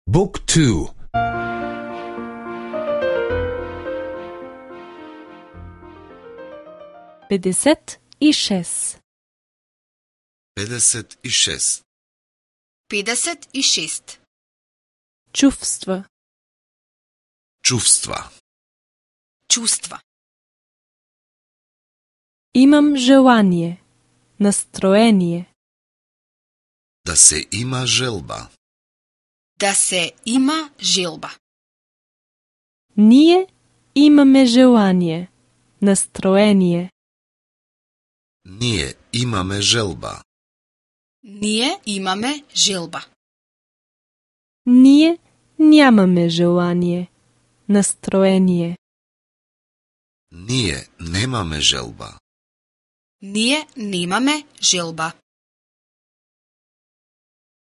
Book 2. 56. 56. 56. Чувства. Чувства. Чувства. Имам желание. Настроение. Да се има желба. Да се има желба. Ние имаме желание. Настроение. Ние имаме желба. Ние имаме желба. Ние нямаме желание. Настроение. Ние немаме желба. Ние немаме желба.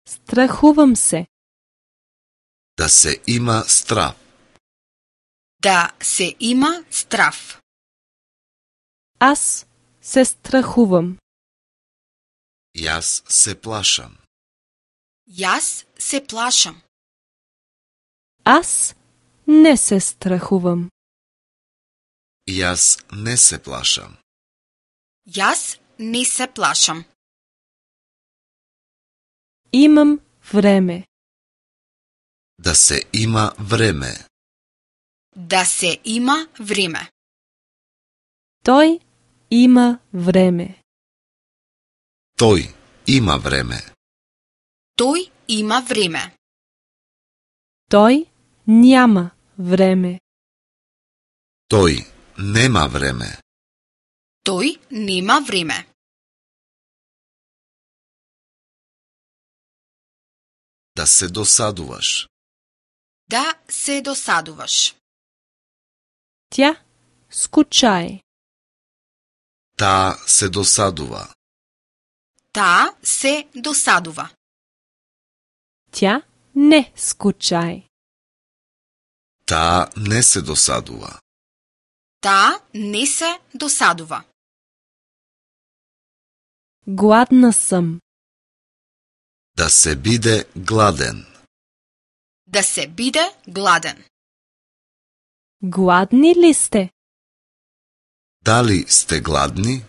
Страхувам се. Да се има страв. Да се има страв. Аз се страхувам. Јас се плашам. Јас се плашам. Аз не се страхувам. Јас не се плашам. Јас не се плашам. Имам време. Да се има време. Да се има време. Той има време. Тој има време. Тој има време. Той няма време. Тој нема време. Тој нема време. Да се досадуваш. Да се досадуваш. Тя скучае. Таа се досадува. Таа се досадува. Тя не скучае. Таа не се досадува. Таа не се досадува. Гладна съм. Да се биде гладен. Да се биде гладен. Гладни ли сте? Дали сте гладни?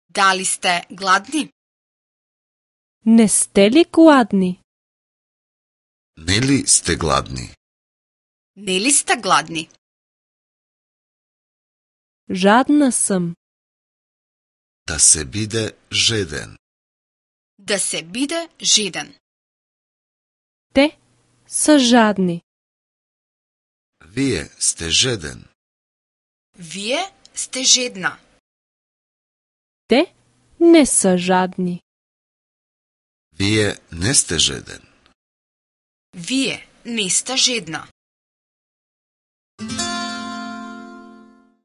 Дали сте гладни? Не сте ли гладни? Нели сте гладни? Нели сте гладни? Жадна съм. Да се биде жеден. Да се биде жеден. Те са жадни. Вие сте жеден. Вие сте жедна. Те не са жадни. Вие не сте жеден. Вие не сте жедна.